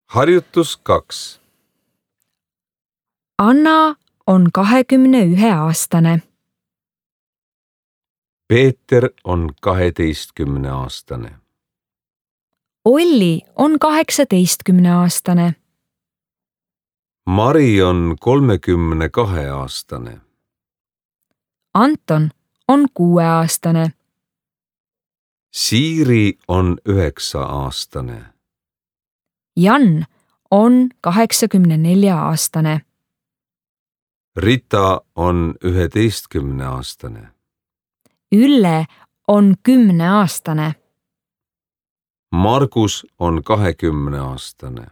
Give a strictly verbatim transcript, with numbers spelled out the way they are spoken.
Harjutus kaks. Anna on kahekümne ühe aastane. Peeter on kaheteistkümne aastane. Olli on kaheksateistkümne aastane. Mari on kolmekümne kahe aastane. Anton on kuue aastane. Siiri on üheksa aastane. Jan on kaheksakümne nelja aastane. Rita on üheteistkümne aastane. Ülle on kümne aastane. Margus on kahekümne aastane.